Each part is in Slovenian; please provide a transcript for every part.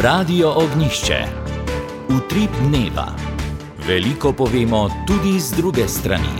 Radio Ognišče. Utrip dneva. Veliko povemo tudi z druge strani.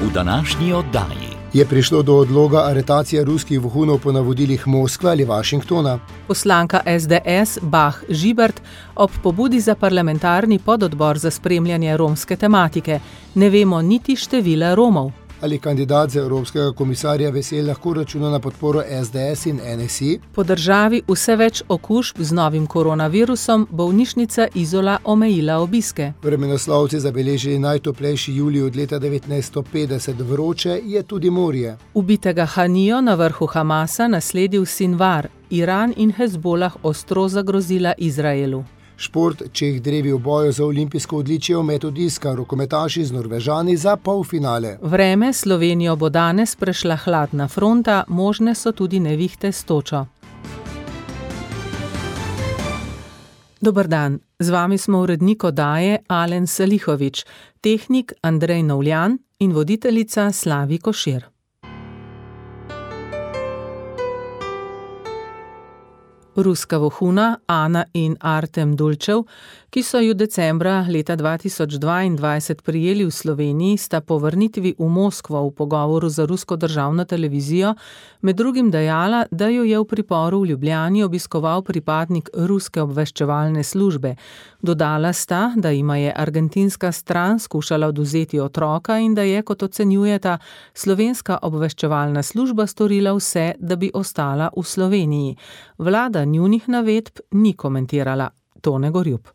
V današnji oddaji je prišlo do odloga aretacije ruskih vohunov po navodilih Moskve ali Washingtona. Poslanka SDS Bah Žibert ob pobudi za parlamentarni pododbor za spremljanje romske tematike. Ne vemo niti števila Romov. Ali kandidat za evropskega komisarja Vesel lahko računa na podporo SDS in NSI? Po državi vse več okužb z novim koronavirusom, bolnišnica Izola omejila obiske. Vremenoslovci zabeležili najtoplejši julij od leta 1950, vroče je tudi morje. Ubitega Hanijo na vrhu Hamasa nasledil Sinvar. Iran in Hezbolah ostro zagrozila Izraelu. Šport, Čeh drevi v boju za olimpijsko odličje v metu diska, rokometaši z Norvežani za polfinale. Vreme Slovenijo bo danes prešla hladna fronta, možne so tudi nevihte s točo. Dober dan, z vami smo urednik oddaje Alen Salihovič, tehnik Andrej Novljan in voditeljica Slavi Košir. Ruska vohuna Ana in Artem Dulčev, ki so ju decembra leta 2022 prijeli v Sloveniji, sta po vrnitvi v Moskvo v pogovoru za rusko državno televizijo med drugim dejala, da jo je v priporu v Ljubljani obiskoval pripadnik ruske obveščevalne službe. Dodala sta, da jima je argentinska stran skušala odvzeti otroka in da je, kot ocenjujeta, slovenska obveščevalna služba storila vse, da bi ostala v Sloveniji. Vlada njunih navedb ni komentirala. Tone Gorjup.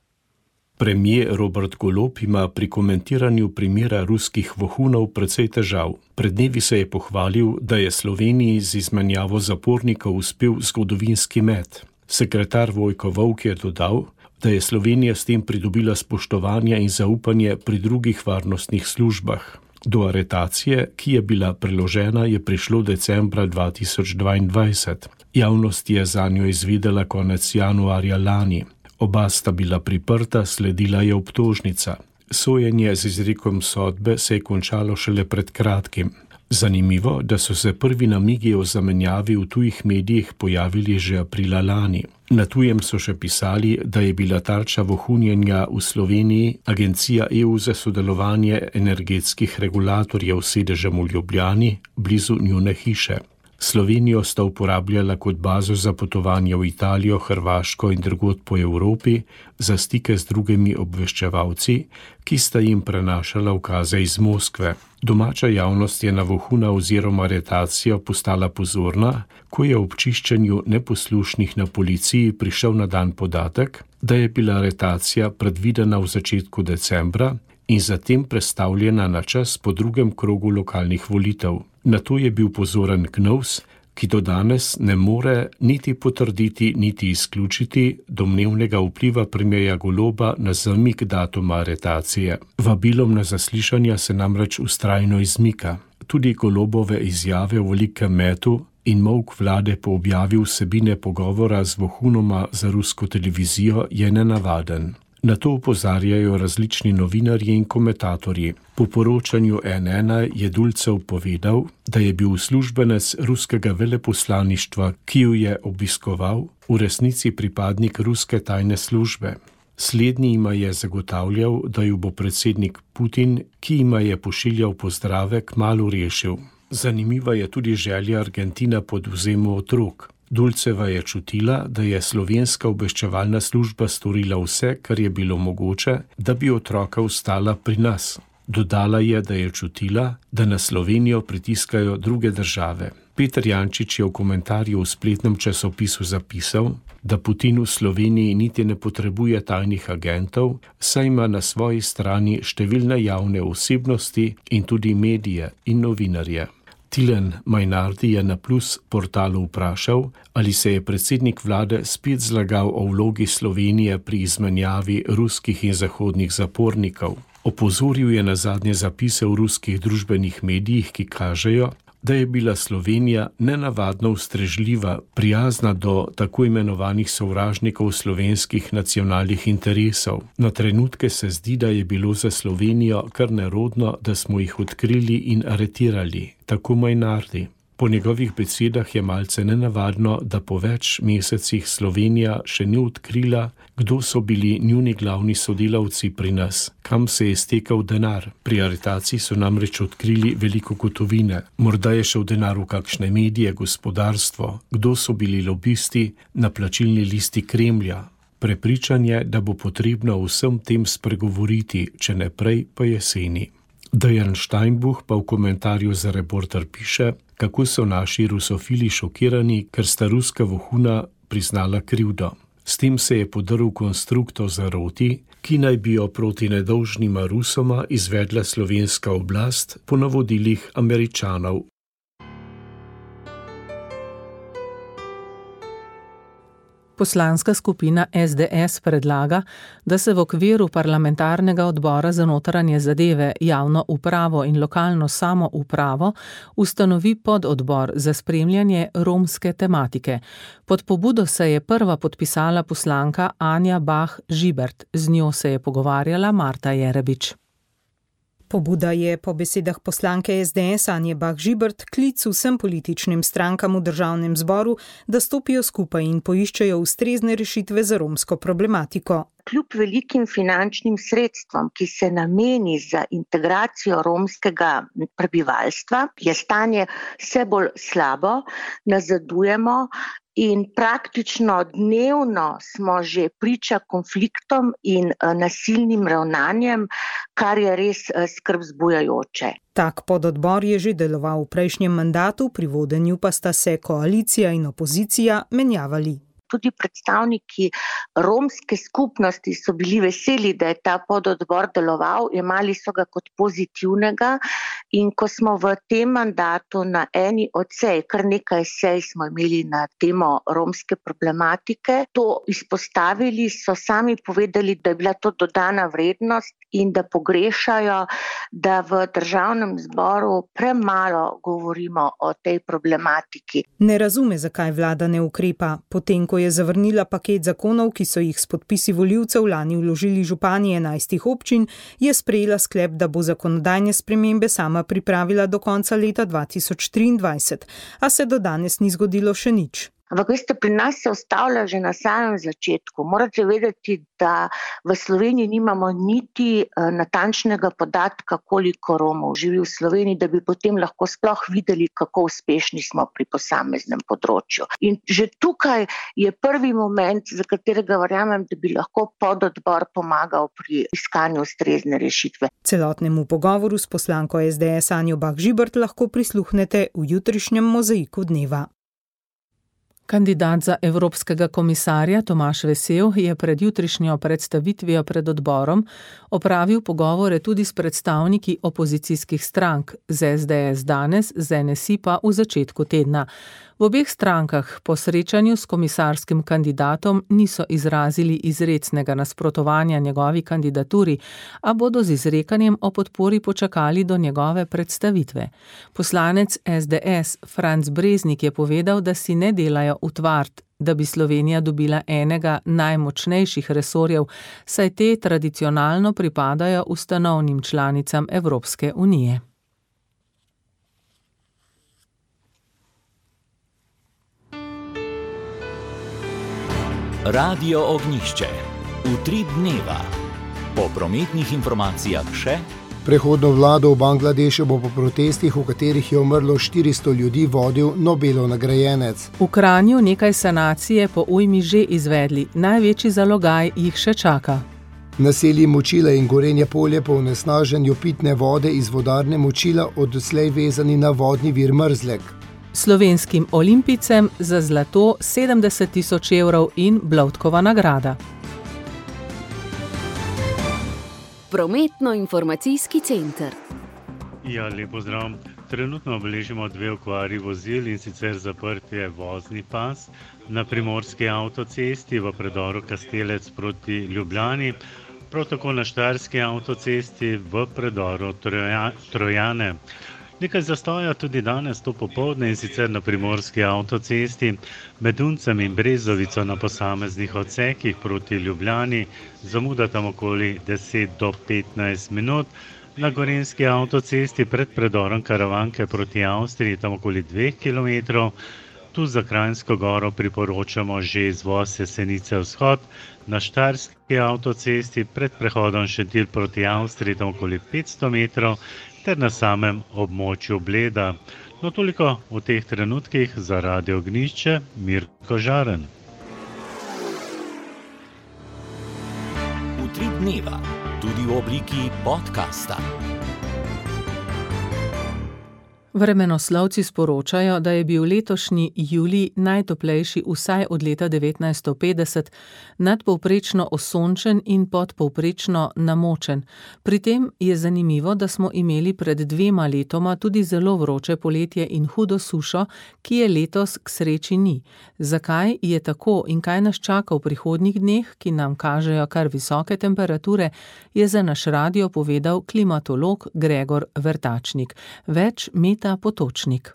Premier Robert Golob ima pri komentiranju primera ruskih vohunov precej težav. Pred dnevi se je pohvalil, da je Sloveniji z izmenjavo zapornikov uspel zgodovinski met. Sekretar Vojko Volk je dodal, da je Slovenija s tem pridobila spoštovanje in zaupanje pri drugih varnostnih službah. Do aretacije, ki je bila preložena, je prišlo decembra 2022. Javnost je zanjo izvedela konec januarja lani. Oba sta bila priprta, sledila je obtožnica. Sojenje z izrekom sodbe se je končalo šele pred kratkim. Zanimivo, da so se prvi namigi o zamenjavi v tujih medijih pojavili že aprila lani. Na tujem so še pisali, da je bila tarča vohunjenja v Sloveniji Agencija EU za sodelovanje energetskih regulatorjev s sedežem v Ljubljani, blizu njune hiše. Slovenijo sta uporabljala kot bazo za potovanje v Italijo, Hrvaško in drugod po Evropi za stike z drugimi obveščevalci, ki sta jim prenašala ukaze iz Moskve. Domača javnost je na vohuna oziroma aretacijo postala pozorna, ko je ob čiščenju neposlušnih na policiji prišel na dan podatek, da je bila aretacija predvidena v začetku decembra in zatem prestavljena na čas po drugem krogu lokalnih volitev. Na to je bil pozoren KNOVS, ki do danes ne more niti potrditi, niti izključiti domnevnega vpliva premierja Goloba na zamik datuma aretacije. Vabilom na zaslišanja se namreč vztrajno izmika. Tudi Golobove izjave o velikem metu in molk vlade po objavi vsebine pogovora z vohunoma za rusko televizijo je nenavaden. Na to opozarjajo različni novinarji in komentatorji. Po poročanju NN je Dulčev povedal, da je bil uslužbenec ruskega veleposlaništva, ki jo je obiskoval, v resnici pripadnik ruske tajne službe. Slednji jima je zagotavljal, da jo bo predsednik Putin, ki jima je pošiljal pozdrave, kmalu rešil. Zanimiva je tudi želja Argentina po odvzemu otrok. Dulčeva je čutila, da je slovenska obveščevalna služba storila vse, kar je bilo mogoče, da bi otroka ostala pri nas. Dodala je, da je čutila, da na Slovenijo pritiskajo druge države. Peter Jančič je v komentarju v spletnem časopisu zapisal, da Putin v Sloveniji niti ne potrebuje tajnih agentov, saj ima na svoji strani številne javne osebnosti in tudi medije in novinarje. Tilen Majnardi je na Plus portalu vprašal, ali se je predsednik vlade spet zlagal o vlogi Slovenije pri izmenjavi ruskih in zahodnih zapornikov. Opozoril je na zadnje zapise v ruskih družbenih medijih, ki kažejo, da je bila Slovenija nenavadno ustrežljiva, prijazna do tako imenovanih sovražnikov slovenskih nacionalnih interesov. Na trenutke se zdi, da je bilo za Slovenijo kar nerodno, da smo jih odkrili in aretirali, tako Majnardi. Po njegovih besedah je malce nenavadno, da po več mesecih Slovenija še ni odkrila, kdo so bili njuni glavni sodelavci pri nas, kam se je stekal denar. Pri aretaciji so namreč odkrili veliko gotovine. Morda je šel denar v kakšne medije, gospodarstvo, kdo so bili lobisti na plačilni listi Kremlja. Prepričan je, da bo potrebno vsem tem spregovoriti, če ne prej pa jeseni. Dejan Steinbuch pa v komentarju za Reporter piše, kako so naši rusofili šokirani, ker sta ruska vohuna priznala krivdo. S tem se je podrl konstruktor zaroti, ki naj bi jo proti nedolžnima Rusoma izvedla slovenska oblast po navodilih Američanov. Poslanska skupina SDS predlaga, da se v okviru parlamentarnega odbora za notranje zadeve, javno upravo in lokalno samoupravo ustanovi pododbor za spremljanje romske tematike. Pod pobudo se je prva podpisala poslanka Anja Bah Žibert, z njo se je pogovarjala Marta Jerebič. Pobuda je po besedah poslanke SDS Anje Bah Žibert klic vsem političnim strankam v državnem zboru, da stopijo skupaj in poiščejo ustrezne rešitve za romsko problematiko. Kljub velikim finančnim sredstvom, ki se nameni za integracijo romskega prebivalstva, je stanje vse bolj slabo, nazadujemo in praktično dnevno smo že priča konfliktom in nasilnim ravnanjem, kar je res skrb vzbujajoče. Tak pododbor je že deloval v prejšnjem mandatu, pri vodenju pa sta se koalicija in opozicija menjavali. Tudi predstavniki romske skupnosti so bili veseli, da je ta pododbor deloval, jemali so ga kot pozitivnega in ko smo v tem mandatu na eni od sej, kar nekaj sej smo imeli na temo romske problematike, to izpostavili, so sami povedali, da je bila to dodana vrednost in da pogrešajo, da v državnem zboru premalo govorimo o tej problematiki. Ne razume, zakaj vlada ne ukrepa, potem ko je zavrnila paket zakonov, ki so jih s podpisi volivcev lani vložili župani 11 občin, je sprejela sklep, da bo zakonodajne spremembe sama pripravila do konca leta 2023, a se do danes ni zgodilo še nič. Ampak veste, pri nas se ustavlja že na samem začetku. Morate vedeti, da v Sloveniji nimamo niti natančnega podatka, koliko Romov živi v Sloveniji, da bi potem lahko sploh videli, kako uspešni smo pri posameznem področju. In že tukaj je prvi moment, za katerega verjamem, da bi lahko pododbor pomagal pri iskanju ustrezne rešitve. Celotnemu pogovoru s poslanko SDS Anjo Bah Žibert lahko prisluhnete v jutrišnjem Mozaiku dneva. Kandidat za evropskega komisarja Tomaž Vesel je pred jutrišnjo predstavitvijo pred odborom opravil pogovore tudi s predstavniki opozicijskih strank, z SDS danes, z NSI pa v začetku tedna. V obeh strankah po srečanju s komisarskim kandidatom niso izrazili izrecnega nasprotovanja njegovi kandidaturi, a bodo z izrekanjem o podpori počakali do njegove predstavitve. Poslanec SDS Franc Breznik je povedal, da si ne delajo utvard, da bi Slovenija dobila enega najmočnejših resorjev, saj te tradicionalno pripadajo ustanovnim članicam Evropske unije. Radio Ognjišče. Utrip dneva. Po prometnih informacijah še. Prehodno vlado v Bangladešu bo po protestih, v katerih je umrlo 400 ljudi, vodil Nobelov nagrajenec. V Kranju nekaj sanacije po ujmi že izvedli, največji zalogaj jih še čaka. Naselji Močila in Gorenje polje po onesnaženju pitne vode iz vodarne Močila odslej vezani na vodni vir Mrzlek. Slovenskim olimpijcem za zlato 70 tisoč evrov in Blovtkova nagrada. Prometno-informacijski center. Ja, lep pozdrav. Trenutno obeležimo 2 okvari vozil, in sicer zaprt je vozni pas na primorski avtocesti v predoru Kastelec proti Ljubljani, prav tako na štajerski avtocesti v predoru Trojane. Nekaj zastoja tudi danes to popoldne, in sicer na primorski avtocesti med Uncem in Brezovico na posameznih odsekih proti Ljubljani, zamuda tam okoli 10 do 15 minut. Na gorenjski avtocesti pred predorom Karavanke proti Avstriji, tam okoli 2 km. Tu za Kranjsko goro priporočamo že izvoz Jesenice vzhod, na štajerski avtocesti pred prehodom Šentilj proti Avstriji, tam okoli 500 metrov, ter na samem območju Bleda. No, toliko v teh trenutkih za Radio Ognjišče, Mirko Žaren. Utrip dneva, tudi v obliki podcasta. Vremenoslovci sporočajo, da je bil letošnji julij najtoplejši vsaj od leta 1950, nadpovprečno osončen in podpovprečno namočen. Pri tem je zanimivo, da smo imeli pred 2 letoma tudi zelo vroče poletje in hudo sušo, ki je letos k sreči ni. Zakaj je tako in kaj nas čaka v prihodnjih dneh, ki nam kažejo kar visoke temperature, je za naš radio povedal klimatolog Gregor Vrtačnik. Več Meta Potočnik.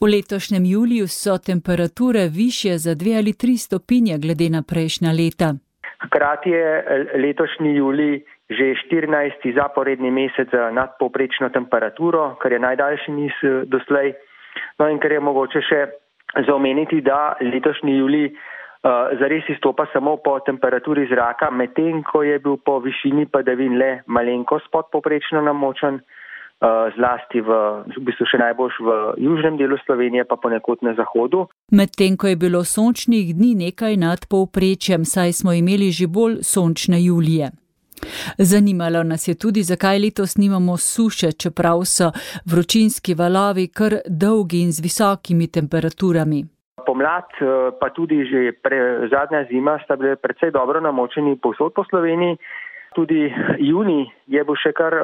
V letošnjem juliju so temperature višje za 2 ali 3 stopinje glede na prejšnja leta. Hkrati je letošnji julij že 14. zaporedni mesec za nadpovprečno temperaturo, kar je najdaljši niz doslej. No in kar je mogoče še zaomeniti, da letošnji julij zares izstopa samo po temperaturi zraka, medtem ko je bil po višini padavin le malenkost podpovprečno namočen, zlasti v bistvu še najbolj v južnem delu Slovenije, pa ponekod na zahodu. Medtem ko je bilo sončnih dni nekaj nad povprečjem, saj smo imeli že bolj sončne julije. Zanimalo nas je tudi, zakaj letos nimamo suše, čeprav so vročinski valovi kar dolgi in z visokimi temperaturami. Pomlad, pa tudi že zadnja zima sta bili precej dobro namočeni povsod po Sloveniji. Tudi junij je bil še kar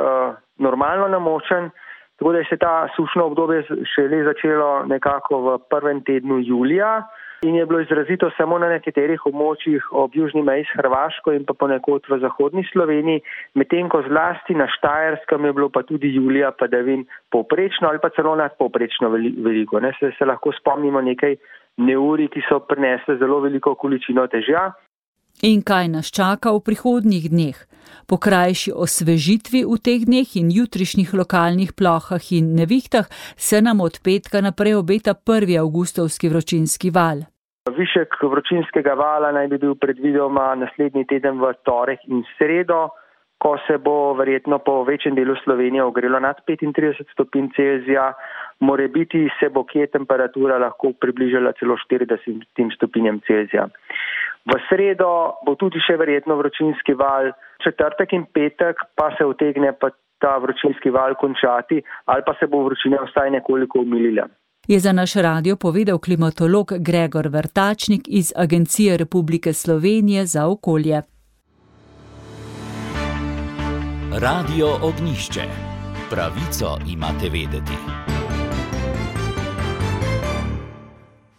normalno namočen, tako da je se ta sušno obdobje šele začelo nekako v prvem tednu julija in je bilo izrazito samo na nekaterih območjih ob južni meji s Hrvaško in pa ponekod v zahodni Sloveniji, medtem ko zlasti na Štajerskem je bilo pa tudi julija padavin povprečno ali pa celo nadpovprečno veliko. Se lahko spomnimo nekaj neurij, ki so prinesle zelo veliko količino dežja. In kaj nas čaka v prihodnjih dneh? Po krajši osvežitvi v teh dneh in jutrišnjih lokalnih plohah in nevihtah se nam od petka naprej obeta 1. avgustovski vročinski val. Višek vročinskega vala naj bi bil predvidoma naslednji teden v torek in sredo, ko se bo verjetno po večjem delu Slovenije ogrelo nad 35 stopinj Celzija, morebiti se bo kje temperatura lahko približala celo 40 stopinjem Celzija. V sredo bo tudi še verjetno vročinski val, četrtek in petek pa se utegne pa ta vročinski val končati ali pa se bo vročina vsaj nekoliko umilila. Je za naš radio povedal klimatolog Gregor Vrtačnik iz Agencije Republike Slovenije za okolje. Radio Ognjišče. Pravico imate vedeti.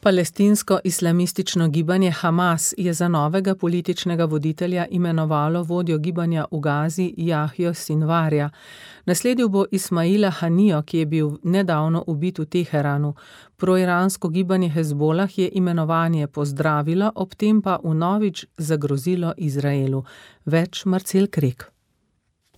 Palestinsko-islamistično gibanje Hamas je za novega političnega voditelja imenovalo vodjo gibanja v Gazi Jahjo Sinvarja. Nasledil bo Ismaila Hanijo, ki je bil nedavno ubit v Teheranu. Proiransko gibanje Hezbolah je imenovanje pozdravilo, ob tem pa vnovič zagrozilo Izraelu. Več Marcel Krek.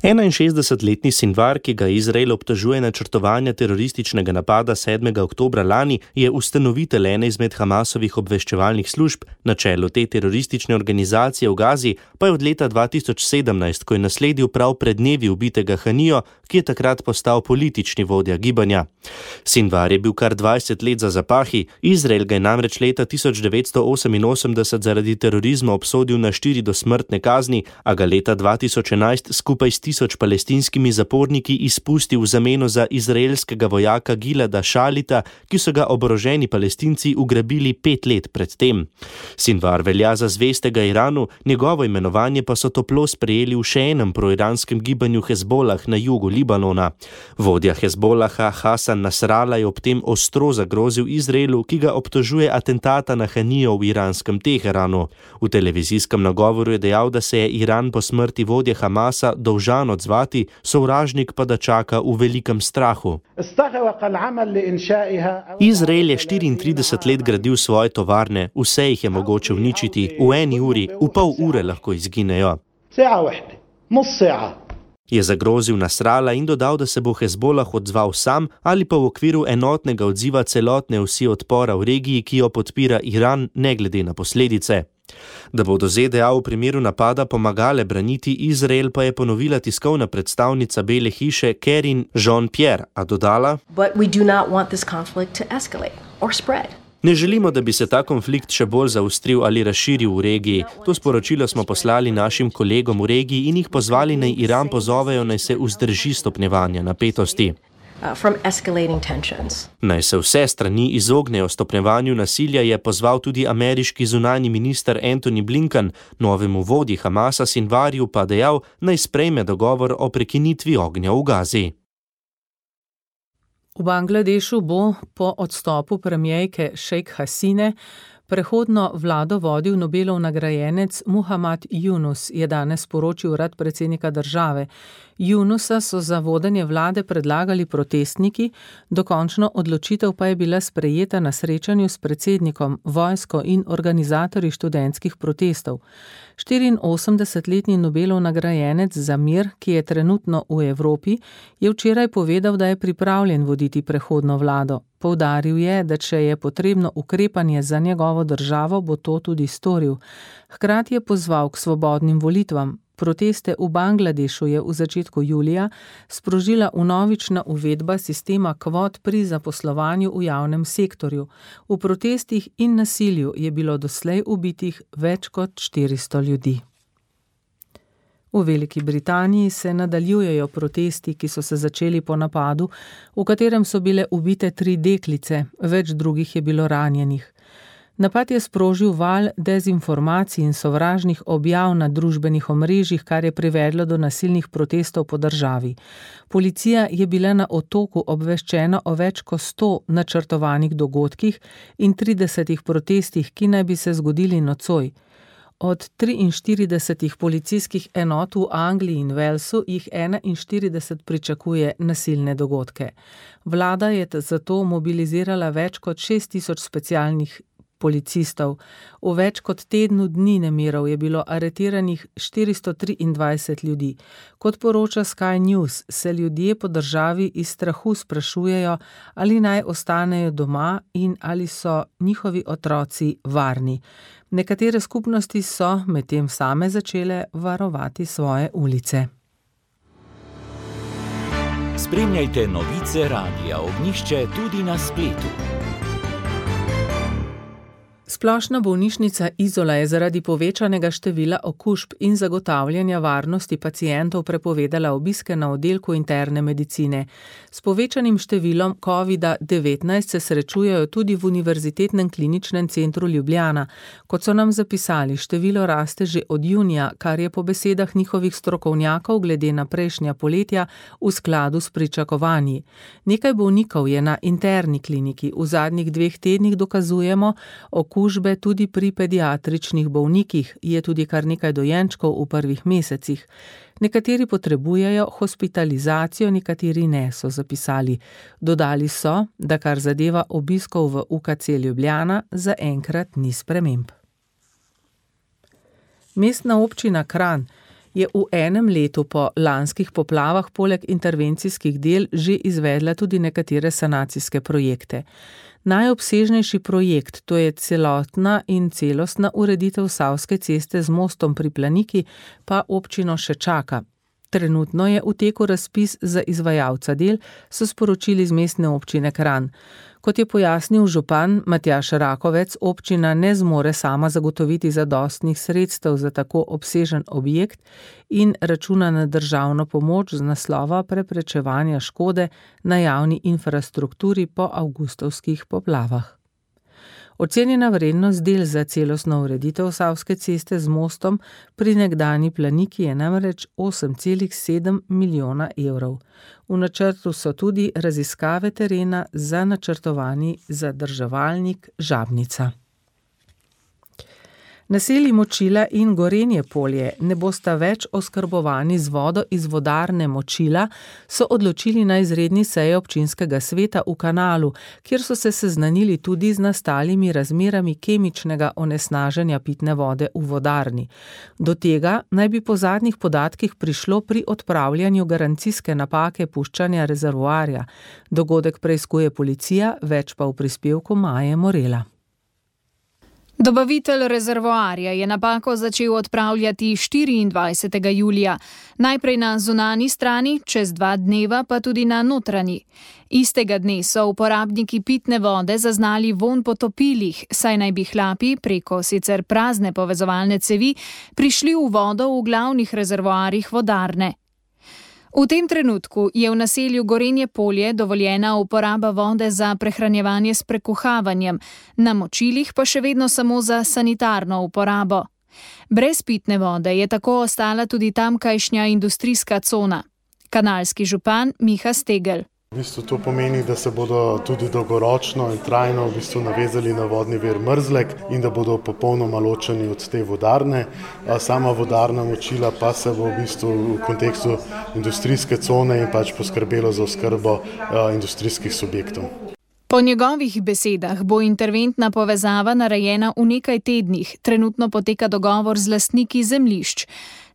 61-letni Sinvar, ki ga Izrael obtožuje načrtovanja terorističnega napada 7. oktobra lani, je ustanovitelj ene izmed Hamasovih obveščevalnih služb, na čelu te teroristične organizacije v Gazi pa je od leta 2017, ko je nasledil prav pred dnevi ubitega Hanijo, ki je takrat postal politični vodja gibanja. Sinvar je bil kar 20 let za zapahi, Izrael ga je namreč leta 1988 zaradi terorizma obsodil na 4 dosmrtne kazni, a ga leta 2011 skupaj s 1000 palestinskimi zaporniki izpustil v zameno za izraelskega vojaka Gilada Šalita, ki so ga oboroženi Palestinci ugrabili 5 let pred tem. Sinvar velja za zvestega Iranu, njegovo imenovanje pa so toplo sprejeli v še enem proiranskem gibanju Hezbolah na jugu Libanona. Vodja Hezbolaha Hasan Nasrallah je ob tem ostro zagrozil Izraelu, ki ga obtožuje atentata na Hanijo v iranskem Teheranu. V televizijskem nagovoru je dejal, da se je Iran po smrti vodje Hamasa dolžan odzvati, sovražnik pa da čaka v velikem strahu. Izrael je 34 let gradil svoje tovarne, vse jih je mogoče uničiti, v 1 uri, v pol ure lahko izginejo. je zagrozil Nasrala in dodal, da se bo Hezbolah odzval sam ali pa v okviru enotnega odziva celotne osi odpora v regiji, ki jo podpira Iran, ne glede na posledice. Da bodo ZDA v primeru napada pomagale braniti Izrael, pa je ponovila tiskovna predstavnica Bele hiše Karine Jean-Pierre, a dodala: Ne želimo, da bi se ta konflikt še bolj zaostril ali razširil v regiji. To sporočilo smo poslali našim kolegom v regiji in jih pozvali, naj Iran pozovejo, naj se vzdrži stopnjevanja napetosti. Naj se vse strani izognejo stopnjevanju nasilja, je pozval tudi ameriški zunanji minister Antony Blinken, novemu vodji Hamasa Sinvariju pa dejal, naj sprejme dogovor o prekinitvi ognja v Gazi. V Bangladešu bo po odstopu premierke Šejk Hasine prehodno vlado vodil Nobelov nagrajenec Muhammad Yunus, je danes sporočil urad predsednika države. Yunusa so za vodenje vlade predlagali protestniki, dokončno odločitev pa je bila sprejeta na srečanju s predsednikom, vojsko in organizatorji študentskih protestov. 84-letni Nobelov nagrajenec za mir, ki je trenutno v Evropi, je včeraj povedal, da je pripravljen voditi prehodno vlado. Poudaril je, da če je potrebno ukrepanje za njegovo državo, bo to tudi storil. Hkrati je pozval k svobodnim volitvam. Proteste v Bangladešu je v začetku julija sprožila vnovična uvedba sistema kvot pri zaposlovanju v javnem sektorju. V protestih in nasilju je bilo doslej ubitih več kot 400 ljudi. V Veliki Britaniji se nadaljujejo protesti, ki so se začeli po napadu, v katerem so bile ubite 3 deklice, več drugih je bilo ranjenih. Napad je sprožil val dezinformacij in sovražnih objav na družbenih omrežjih, kar je privedlo do nasilnih protestov po državi. Policija je bila na Otoku obveščena o več kot 100 načrtovanih dogodkih in 30 protestih, ki naj bi se zgodili nocoj. Od 43 policijskih enot v Angliji in Walesu jih 41 pričakuje nasilne dogodke. Vlada je zato mobilizirala več kot 6000 specialnih policistov. V več kot tednu dni nemirov je bilo aretiranih 423 ljudi. Kot poroča Sky News, se ljudje po državi iz strahu sprašujejo, ali naj ostanejo doma in ali so njihovi otroci varni. Nekatere skupnosti so medtem same začele varovati svoje ulice. Spremljajte novice Radia Ognjišče tudi na spletu. Splošna bolnišnica Izola je zaradi povečanega števila okužb in zagotavljanja varnosti pacientov prepovedala obiske na oddelku interne medicine. S povečanim številom COVID-19 se srečujejo tudi v Univerzitetnem kliničnem centru Ljubljana. Kot so nam zapisali, število raste že od junija, kar je po besedah njihovih strokovnjakov glede na prejšnja poletja v skladu s pričakovanji. Nekaj bolnikov je na interni kliniki. V zadnjih 2 tednih dokazujemo okužbe tudi pri pediatričnih bolnikih, je tudi kar nekaj dojenčkov v prvih mesecih. Nekateri potrebujejo hospitalizacijo, nekateri ne, so zapisali. Dodali so, da kar zadeva obiskov v UKC Ljubljana, zaenkrat ni sprememb. Mestna občina Kranj je v enem letu po lanskih poplavah poleg intervencijskih del že izvedla tudi nekatere sanacijske projekte. Najobsežnejši projekt, to je celotna in celostna ureditev Savske ceste z mostom pri Planiki, pa občino še čaka. Trenutno je v teku razpis za izvajalca del, so sporočili z mestne občine Kranj. Kot je pojasnil župan Matjaž Rakovec, občina ne zmore sama zagotoviti zadostnih sredstev za tako obsežen objekt in računa na državno pomoč z naslova preprečevanja škode na javni infrastrukturi po avgustovskih poplavah. Ocenjena vrednost del za celostno ureditev Savske ceste z mostom pri nekdanji Planiki je namreč 8,7 milijona evrov. V načrtu so tudi raziskave terena za načrtovani zadrževalnik Žabnica. Naselji Močila in Gorenje polje ne bosta več oskrbovani z vodo iz vodarne Močila, so odločili na izredni seji občinskega sveta v Kanalu, kjer so se seznanili tudi z nastalimi razmerami kemičnega onesnaženja pitne vode v vodarni. Do tega naj bi po zadnjih podatkih prišlo pri odpravljanju garancijske napake puščanja rezervoarja. Dogodek preiskuje policija, več pa v prispevku Maje Morela. Dobavitelj rezervoarja je napako začel odpravljati 24. julija, najprej na zunanji strani, čez 2 dneva pa tudi na notranji. Istega dne so uporabniki pitne vode zaznali vonj po topilih, saj naj bi hlapi preko sicer prazne povezovalne cevi prišli v vodo v glavnih rezervoarjih vodarne. V tem trenutku je v naselju Gorenje polje dovoljena uporaba vode za prehranjevanje s prekuhavanjem, na Močilih pa še vedno samo za sanitarno uporabo. Brez pitne vode je tako ostala tudi tamkajšnja industrijska cona. Kanalski župan Miha Stegel. V bistvu to pomeni, da se bodo tudi dolgoročno in trajno navezali na vodni vir Mrzlek in da bodo popolnoma ločeni od te vodarne. Sama vodarna Močila pa se bo v kontekstu industrijske cone in poskrbelo za oskrbo industrijskih subjektov. Po njegovih besedah bo interventna povezava narejena v nekaj tednih, trenutno poteka dogovor z lastniki zemljišč.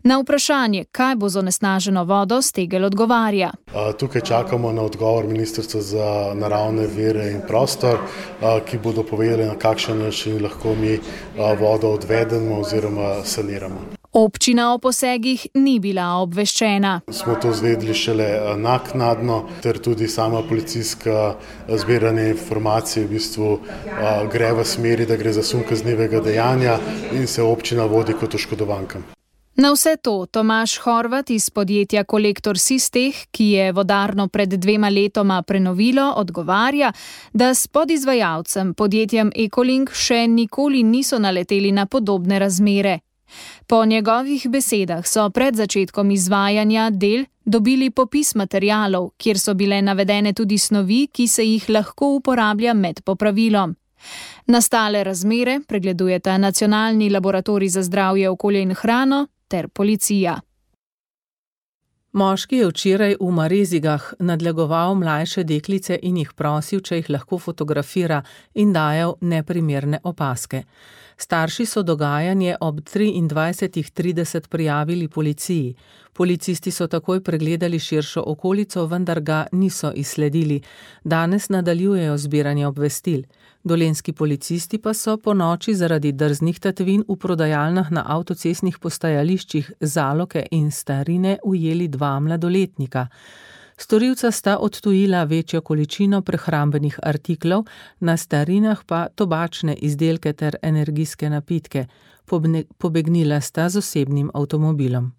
Na vprašanje, kaj bo z onesnaženo vodo, Stegel odgovarja. Tukaj čakamo na odgovor Ministrstva za naravne vire in prostor, ki bodo povedali, na kakšen način lahko mi vodo odvedemo oziroma saniramo. Občina o posegih ni bila obveščena. Smo to izvedeli šele naknadno, ter tudi sama policijska zbiranje informacij gre v smeri, da gre za sum kaznivega dejanja in se občina vodi kot oškodovanka. Na vse to Tomaž Horvat iz podjetja Kolektor Sisteh, ki je vodarno pred 2 letoma prenovilo, odgovarja, da s podizvajalcem podjetjem Ekolink še nikoli niso naleteli na podobne razmere. Po njegovih besedah so pred začetkom izvajanja del dobili popis materialov, kjer so bile navedene tudi snovi, ki se jih lahko uporablja med popravilom. Nastale razmere pregledujeta Nacionalni laboratorij za zdravje, okolje in hrano ter policija. Moški je včeraj v Marezigah nadlegoval mlajše deklice in jih prosil, če jih lahko fotografira, in dajal neprimerne opazke. Starši so dogajanje ob 23:30 prijavili policiji. Policisti so takoj pregledali širšo okolico, vendar ga niso izsledili. Danes nadaljujejo zbiranje obvestil. Dolenjski policisti pa so po noči zaradi drznih tatvin v prodajalnah na avtocestnih postajališčih Zaloke in Starine ujeli 2 mladoletnika. Storilca sta odtujila večjo količino prehrambenih artiklov, na Starinah pa tobačne izdelke ter energijske napitke. Pobegnila sta z osebnim avtomobilom.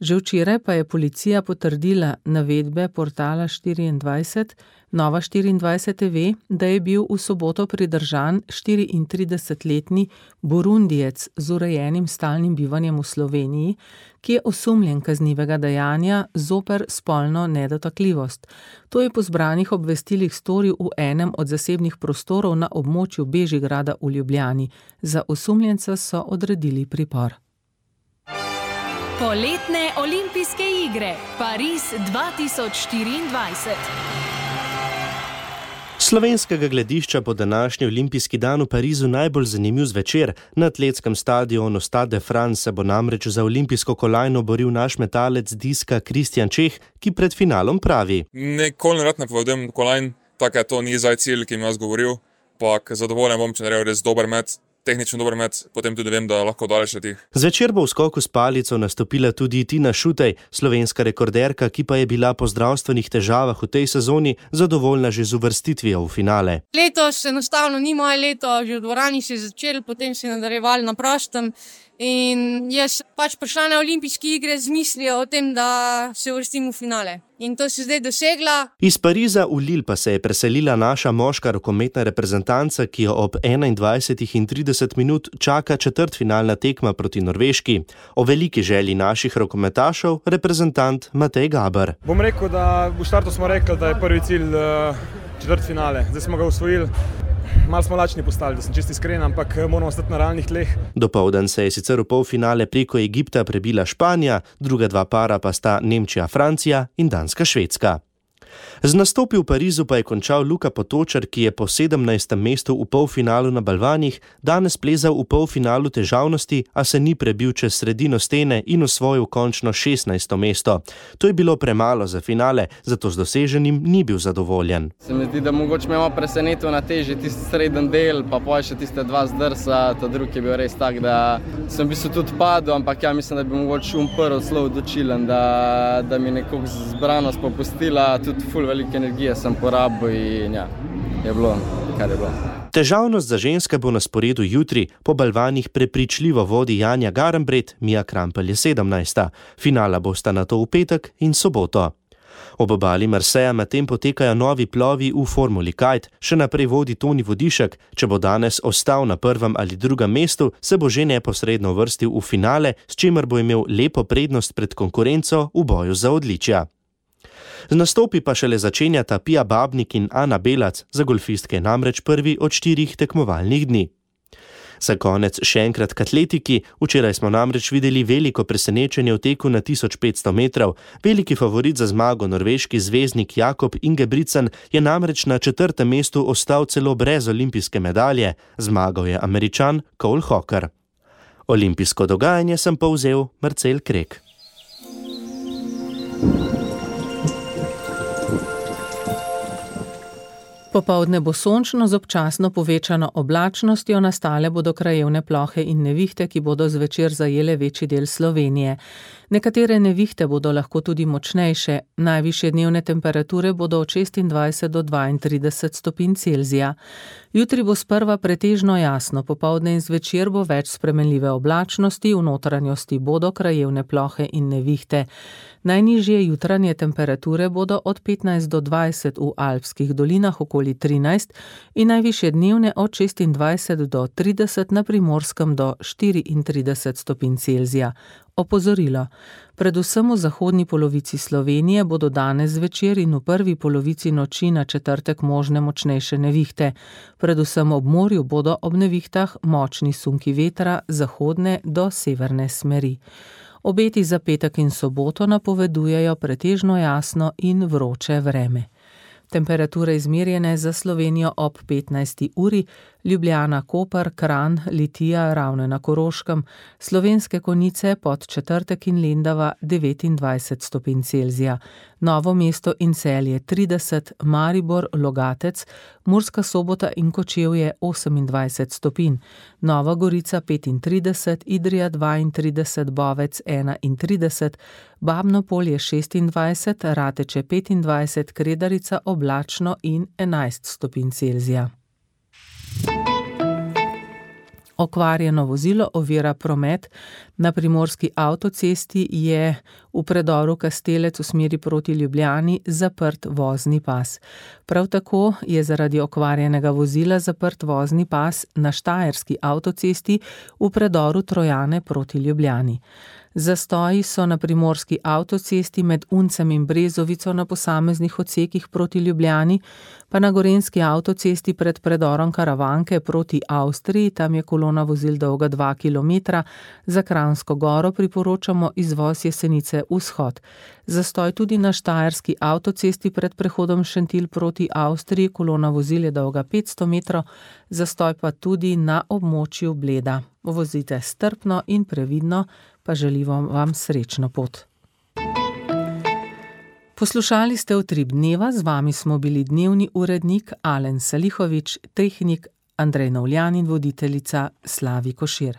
Že včeraj pa je policija potrdila navedbe portala 24, Nova 24 ve, da je bil v soboto pridržan 34-letni Burundijec z urejenim stalnim bivanjem v Sloveniji, ki je osumljen kaznivega dejanja zoper spolno nedotakljivost. To je po zbranih obvestilih storil v enem od zasebnih prostorov na območju Bežigrada v Ljubljani. Za osumljenca so odredili pripor. Poletne olimpijske igre Pariz 2024. Slovenskega gledišča po današnji olimpijski dan v Parizu najbolj zanimiv zvečer. Na atletskem stadionu Stade de France se bo namreč za olimpijsko kolajno boril naš metalec diska Kristjan Čeh, ki pred finalom pravi: Nikoli ne rad napovedam kolajn, tako to ni zdaj cilj, ki mi jaz govoril, pa zadovoljen bom, če naredil res dober met. Tehnično dober met, potem tudi vem, da lahko daleč letih. Zvečer bo v skoku s palico nastopila tudi Tina Šutej, slovenska rekorderka, ki pa je bila po zdravstvenih težavah v tej sezoni zadovoljna že z uvrstitvijo v finale. Letos enostavno ni moje leto, že v dvorani se je začel, potem se je nadaljevali na prostem. In jaz prišla na olimpijske igre z mislijo o tem, da se uvrstim v finale. In to se zdaj dosegla. Iz Pariza v Lille pa se je preselila naša moška rokometna reprezentanca, ki jo ob 21:30 čaka četrtfinalna tekma proti Norveški. O veliki želji naših rokometašev reprezentant Matej Gaber. Bom rekel, da v štartu smo rekli, da je prvi cilj četrtfinale. Zdaj smo ga osvojili. Malo smo lačni postali, da sem čisto iskren, ampak moramo ostati na realnih tleh. Dopoldan se je sicer v polfinale preko Egipta prebila Španija, druga dva para pa sta Nemčija-Francija in Danska-Švedska. Z nastopi v Parizu pa je končal Luka Potočar, ki je po 17. mestu v polfinalu na balvanih danes plezal v polfinalu težavnosti, a se ni prebil čez sredino stene in osvojil končno 16. mesto. To je bilo premalo za finale, zato z doseženim ni bil zadovoljen. Se mi zdi, da mogoče me malo presenetil na teži tisti sreden del, pa pol še tiste dva zdrsa, ta drugi je bil res tak, da sem v bistvu tudi padel, ampak ja, mislim, da bi mogoče prvi zelo odločilen, da mi nekako zbranost popustila, tudi ful velike energije sem porabil in ja, je bilo, kar je bilo. Težavnost za ženske bo na sporedu jutri, po balvanih prepričljivo vodi Janja Garambret, Mija Krampelj je 17. Finala bosta nato v petek in soboto. Ob obali Marseja medtem potekajo novi plovi v Formuli Kite, še naprej vodi Toni Vodišek, če bo danes ostal na prvem ali drugem mestu, se bo že neposredno uvrstil v finale, s čimer bo imel lepo prednost pred konkurenco v boju za odličja. Z nastopi pa šele začenjata Pia Babnik in Ana Belac, za golfistke namreč prvi od 4 tekmovalnih dni. Za konec še enkrat k atletiki, včeraj smo namreč videli veliko presenečenje v teku na 1500 metrov. Veliki favorit za zmago norveški zvezdnik Jakob Ingebrigtsen je namreč na 4. mestu ostal celo brez olimpijske medalje. Zmagal je Američan Cole Hocker. Olimpijsko dogajanje sem povzel Marcel Krek. Popoldne bo sončno z občasno povečano oblačnostjo, nastale bodo krajevne plohe in nevihte, ki bodo zvečer zajele večji del Slovenije. Nekatere nevihte bodo lahko tudi močnejše, najvišje dnevne temperature bodo od 26 do 32 stopinj Celzija. Jutri bo sprva pretežno jasno, popoldne in zvečer bo več spremenljive oblačnosti, v notranjosti bodo krajevne plohe in nevihte. Najnižje jutranje temperature bodo od 15 do 20 v alpskih dolinah, okoli 13, in najvišje dnevne od 26 do 30 na Primorskem do 34 stopinj Celzija. Opozorilo. Predvsem v zahodni polovici Slovenije bodo danes zvečer in v prvi polovici noči na četrtek možne močnejše nevihte. Predvsem ob morju bodo ob nevihtah močni sunki vetra zahodne do severne smeri. Obeti za petek in soboto napovedujejo pretežno jasno in vroče vreme. Temperature izmerjene za Slovenijo ob 15. uri, Ljubljana, Koper, Kranj, Litija, Ravne na Koroškem, Slovenske Konjice, Podčetrtek in Lendava 29 stopinj Celzija, Novo mesto in Celje 30, Maribor, Logatec, Murska Sobota in Kočevje 28 stopinj, Nova Gorica 35, Idrija 32, Bovec 31, Babno Polje 26, Rateče 25, Kredarica oblačno in 11 stopinj Celzija. Okvarjeno vozilo ovira promet. Na primorski avtocesti je v predoru Kastelec v smeri proti Ljubljani zaprt vozni pas. Prav tako je zaradi okvarjenega vozila zaprt vozni pas na štajerski avtocesti v predoru Trojane proti Ljubljani. Zastoji so na primorski avtocesti med Uncem in Brezovico na posameznih odsekih proti Ljubljani, pa na gorenjski avtocesti pred predorom Karavanke proti Avstriji, tam je kolona vozil dolga 2 km, za Kranjsko Goro priporočamo izvoz Jesenice vzhod. Zastoj tudi na štajerski avtocesti pred prehodom Šentilj proti Avstriji, kolona vozil je dolga 500 metrov, zastoj pa tudi na območju Bleda. Vozite strpno in previdno, pa želimo vam srečno pot. Poslušali ste Utrip dneva, z vami smo bili dnevni urednik Alen Salihovič, tehnik Andrej Novljan in voditeljica Slavi Košir.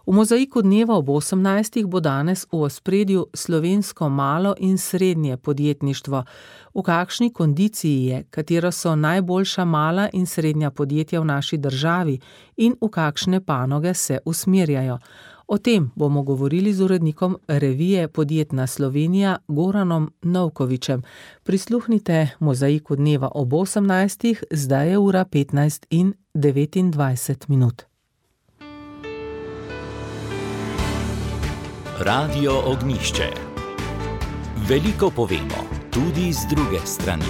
V mozaiku dneva ob 18. bo danes v ospredju slovensko malo in srednje podjetništvo. V kakšni kondiciji je, katero so najboljša mala in srednja podjetja v naši državi in v kakšne panoge se usmerjajo. O tem bomo govorili z urednikom revije Podjetna Slovenija Goranom Novkovičem. Prisluhnite mozaiku dneva ob 18. Zdaj je ura 15:29. Radio Ognjišče. Veliko povemo, tudi z druge strani.